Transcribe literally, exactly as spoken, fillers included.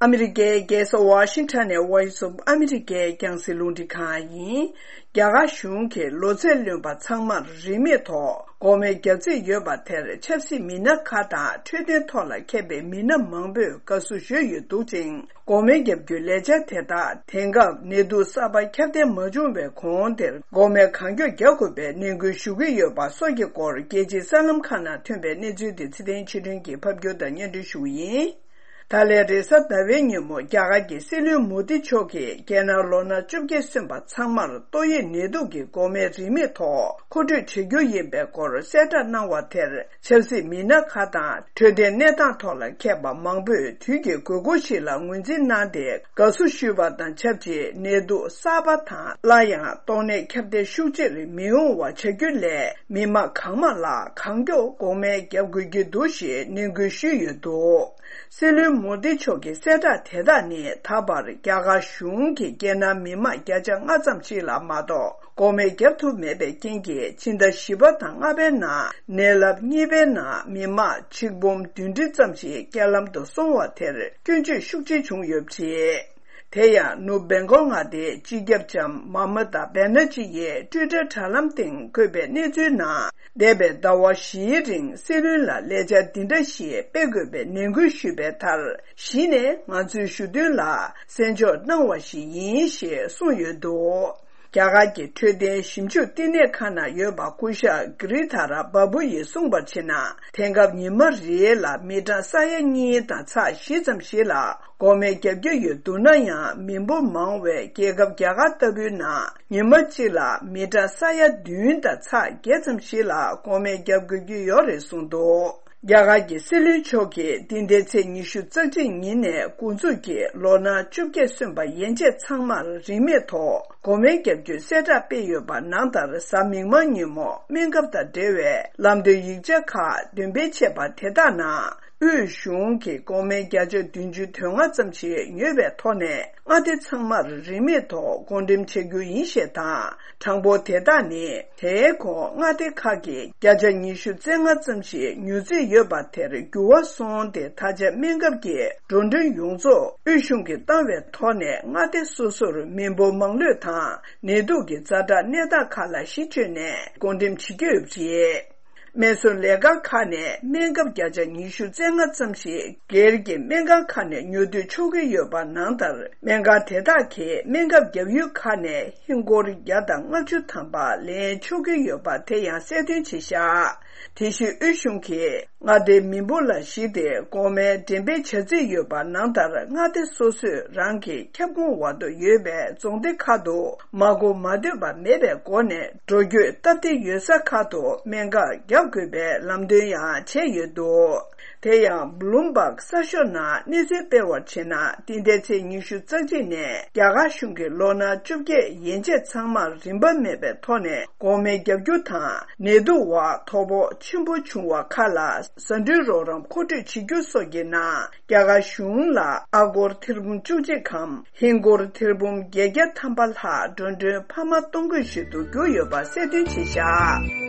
ཨ་མི་རི་ཀའི་རྒྱལ་ས་ཝ་ཤིང་ཊོན་ནས་Voice of America་རྒྱང་སྲིང་རླུང་འཕྲིན་ཁང་ཡིན། རྒྱ་གར་གཞུང་གིས་ལོ་ཚད་ལོན་པ་ཚང་མར་རིན་མེད་ཐོག་འགོག་སྨན་བརྒྱབ་རྩིས་ཡོད་པ་དེར་ཆབ་སྲིད་མི་སྣ་ཁག་དང་འཕྲོད་བསྟེན་ཐོག་ལ་མཁས་པའི་མི་སྣ་མང་པོས་དགའ་བསུ་ཞུས་ཡོད་འདུག་ཅིང་། འགོག་སྨན་བརྒྱབ་རྒྱུའི་ལས་འཆར་དེ་དག་དེང་སྐབས་ནད་དུག་གསར་པ་ཁྱབ་གདལ་མ་བྱུང་བའི་གོང་དེར་འགོག་སྨན་གང་མགྱོགས་བརྒྱབ་དགོས་པའི་ནན་སྐུལ་ཞུ་གི་ཡོད་པ་སོགས་ཀྱི་སྐོར་རྒྱལ་སྤྱིའི་གསར་ལམ་ཁག་ནང་ཐོན་པའི་གནས་ཚུལ་དེ་ཚེ་བརྟན་ཆོས་སྒྲོན་གྱིས་ཕབ་སྒྱུར་དང་སྙན་སྒྲོན་ཞུ་གི་ཡིན། ད་ལན་རེས་གཟའ་ཟླ་བའི་ཉིན་མོ་རྒྱ་གར་གྱི་སྲིད་བློན་མོ་དི་མཆོག་གིས་རྒྱལ་ནང་ལོ་ན་བཅོ་བརྒྱད་སོན་པ་ཚང་མར་ཏོག་དབྱིབས་ནད་དུག་གི་འགོག་སྨན་རིན་མེད་ཐོག་མཁོ་སྤྲོད་བྱ་རྒྱུ་ཡིན་པའི་སྐོར་གསལ་བསྒྲགས་གནང་བ་དེར་ཆབ་སྲིད་མི་སྣ་ཁག་དང་འཕྲོད་བསྟེན་གནས་སྟངས་ཐོག་ལ་མཁས་པ་མང་པོས་དུས་ཀྱི་དགོས་མཁོ་ཞིག་ལ་ངོས་འཛིན་གནང་སྟེ་དགའ་བསུ་ཞུས་པ་དང་ཆབས་ཅིག་ནད་དུག་གསར་པ་དང་སླར་ཡང་ཏོག་ནད་ཁྱབ་གདལ་ཤུགས་ཆེར་མི་ཡོང་བ་བྱ་རྒྱུ་ལས་མི་མང་གང་མང་ལ་གང་མགྱོགས་འགོག་སྨན་བརྒྱབ་དགོས་ཀྱི་འདུག་ཞེས་ནན་སྐུལ་ཞུས་ཡོད་འདུག། སྲིད་བློན་མོ་དི་མཆོག་གི་གསལ་བསྒྲགས་དེ་དག་ནི་ད་བར་རྒྱ་གར་གཞུང་གིས་རྒྱལ་ནང་མི་མང་བརྒྱ་ཆ་ལྔ་ཙམ་ཞིག་ལ་མ་གཏོགས་འགོག་སྨན་བརྒྱབ་ཐུབ་མེད་པའི་རྐྱེན་གྱིས་ཕྱི་ཟླ་བཞི་པ་དང་ལྔ་པའི་ནང་ནད་རླབས་གཉིས་པའི་ནང་མི་མང་ཆིག་འབུམ་བདུན་ཁྲི་ཙམ་ཞིག་རྐྱེན་ལམ་དུ་སོང་བ་དེར་སྐྱོན་བརྗོད་ཤུགས་ཆེ་བྱུང་ཡོད་པ་རེད། དེ་ཡང་ནུབ་བེང་གོག་མངའ་སྡེའི་སྤྱི་ཁྱབ་ལྕམ་མ་མ་ཏཱ་བེ་ན་ཇི་ཡིས་ཊུའི་ཊར་དྲ་ལམ་སྟེང་བཀོད་པའི་གནས་ཚུལ་ནང་། འདས་པའི་ཟླ་བ་བཞིའི་རིང་སྲིད་བློན་ལ་ལས་འཆར་འདི་འདྲ་ཞིག་སྤེལ་དགོས་པའི་ནན་སྐུལ་ཞུས་པའི་མཐར། གཞི་ནས་ང་ཚོའི་ཞུ་དོན་ལ་གསན་འཇོག་གནང་བ་ཞིག་ཡིན་ཞེས་གསུངས་ཡོད་འདུག། རྒྱ་གར་གྱི་འཕྲོད་བསྟེན་ཞིབ་འཇུག་བསྟི་གནས་ཁང་ནང་ཡོད་པ་སྐུ་ཞབས་གྷི་རི་དྷ་ར་བ་བུ་ཡིས་གསུངས་པར་བྱས་ན། དེང་སྐབས་ཉི་མ་རེ་ལ་མི་གྲངས་ས་ཡ་གཉིས་དང་ཚེག་བཞི་ཙམ་ཞིག་ལ་འགོག་སྨན་བརྒྱབ་ཀྱི་ཡོད་འདུག་ན་ཡང་། མི་འབོར་མང་བའི་རྒྱལ་ཁབ་རྒྱ་གར་ལྟ་བུའི་ནང་ཉི་མ་གཅིག་ལ་མི་གྲངས་ས་ཡ་བདུན་དང་ཚེག་བརྒྱད་ཙམ་ཞིག་ལ་འགོག་སྨན་བརྒྱབ་དགོས་ཀྱི་ཡོད་རེད་གསུངས་འདུག། རྒྱ་གར་གྱི་སྲིད་བློན་མཆོག་གིས་འདི་ཟླའི་ཚེས་ཉི་ཤུ་རྩ་གཅིག་ཉིན་ནས་འགོ་འཛུགས་ཀྱིས་ལོ་ན་བཅོ་བརྒྱད་སོན་པ་ཡན་ཆད་ཚང་མར་རིན་མེད་ཐོག་འགོག་སྨན་བརྒྱབ་རྒྱུའི་གསལ་བསྒྲགས་སྤེལ་ཡོད་པ་ནང་ལྟར། གཟའ་མིག་དམར་ཉིན་མོ་སྨན་ཁབ་དང་འབྲེལ་བའི་ལམ་སྟོན་ཡིག་ཆ་ཁག་འདོན་སྤེལ་བྱས་པ་དེ་དག་ནང་། དབུས་གཞུང་གིས་འགོག་སྨན་བརྒྱ་ཆ་བདུན་ཅུ་དོན་ལྔ་ཙམ་ཞིག་ཉོས་པའི་ཐོག་ནས། མངའ་སྡེ་ཚང་མར་རིན་མེད་ཐོག་བགོ་འགྲེམས་བྱ་རྒྱུ་ཡིན་ཞེས་དང་། གྲངས་འབོར་དེ་དག་ནི། དེའི་གོང་མངའ་སྡེ་ཁག་གིས་བརྒྱ་ཆ་ཉི་ཤུ་རྩ་ལྔ་ཙམ་ཞིག་ཉོ་རྩིས་ཡོད་པ་དེར་འགྱུར་བ་སོང་སྟེ། ད་ཆ་སྨན་ཁབ་ཀྱི་འགྲོ་གྲོན་ཡོངས་རྫོགས་དབུས་གཞུང་གིས་བཏང་བའི་ཐོག་ནས། མངའ་སྡེ་སོ་སོར་མི་འབོར་མང་ལོས་དང་ནད་དུག་གི་ཛ་དྲག་གནས་སྟངས་ཁག་ལ་གཞི་བཅོལ་ནས་བགོ་འགྲེམས་བྱེད་ཀྱི་ཡོད་པ་རེད། སྨན་གསོ་ལས་ཁང་ཁག་ནས་སྨན་ཁབ་བརྒྱ་ཆ་ཉི་ཤུ་རྩ་ལྔ་ཙམ་ཞིག་སྒེར་གྱི་སྨན་ཁང་ཁག་ནས་ཉོ་སྡུད་ཆོག་གི་ཡོད་པ་ནང་ལྟར། སྨན་ཁང་དེ་དག་གིས་སྨན་ཁབ་བརྒྱབ་ཡུལ་ཁག་ནས་ཧིན་སྒོར་བརྒྱ་དང་ལྔ་བཅུ་ཐམ་པ་ལེན་ཆོག་གི་ཡོད་པ་དེ་ཡང་གསལ་སྟོན་བྱས་བཞག། དེ་བཞིན་དབུས་གཞུང་གིས་མངའ་སྡེའི་མི་འབོར་ལ་གཞིགས་ཏེ་འགོག་སྨན་འགྲེམས་སྤེལ་བྱ་རྩིས་ཡོད་པ་ནང་ལྟར། མངའ་སྡེ་སོ་སོས་རང་གི་ཁྱབ་ཁོངས་འོག་ཏུ་ཡོད་པའི་རྫོང་སྡེ་ཁག་ཏུ་མ་འགོར་མ་སྡོད་པ་མེད་པའི་སྒོ་ནས། འགྲོ་སྐྱོད་སྟབས་བདེ་ཡོད་ས་ཁག་ཏུ་སྨན་ཁབ་བརྒྱབ་དགོས་པའི་ལམ་སྟོན་ཡང་བྱས་ཡོད་འདུག། དེ་ཡང་བྷ་ལུམ་བྷག་གསར་ཤོག་ནང་གནས་ཚུལ་སྤེལ་བར་བྱས་ན། འདི་ཟླའི་ཚེས་ཉི་ཤུ་རྩ་གཅིག་ནས་རྒྱ་གར་གཞུང་གིས་ལོ་ན་བཅོ་བརྒྱད་ཡན་ཆད་ཚང་མར་རིན་པ་མེད་པའི་ཐོག་ནས་འགོག་སྨན་བརྒྱབ་རྒྱུ་དང་། ནད་དུག་འོག་དོ་ཕོག་ཆེན་པོ་བྱུང་བ་ཁག་ལ་ཟ་འབྲུའི་རོགས་རམ་མཁོ་སྤྲོད་བྱེད་རྒྱུ་སོགས་ཀྱི་ནང་། རྒྱ་གར་གཞུང་ལ་ཨ་སྒོར་ཐེར་འབུམ་བཅུ་གཅིག་གམ། ཧིན་སྒོར་ཐེར་འབུམ་བརྒྱད་བརྒྱ་ཐམ་པ་ལྷག་འགྲོ་གྲོན་འཕར་མ་གཏོང་དགོས་ཞིག་ཏུ་གྱུར་ཡོད་པ་གསལ་སྟོན་བྱས་བཞག།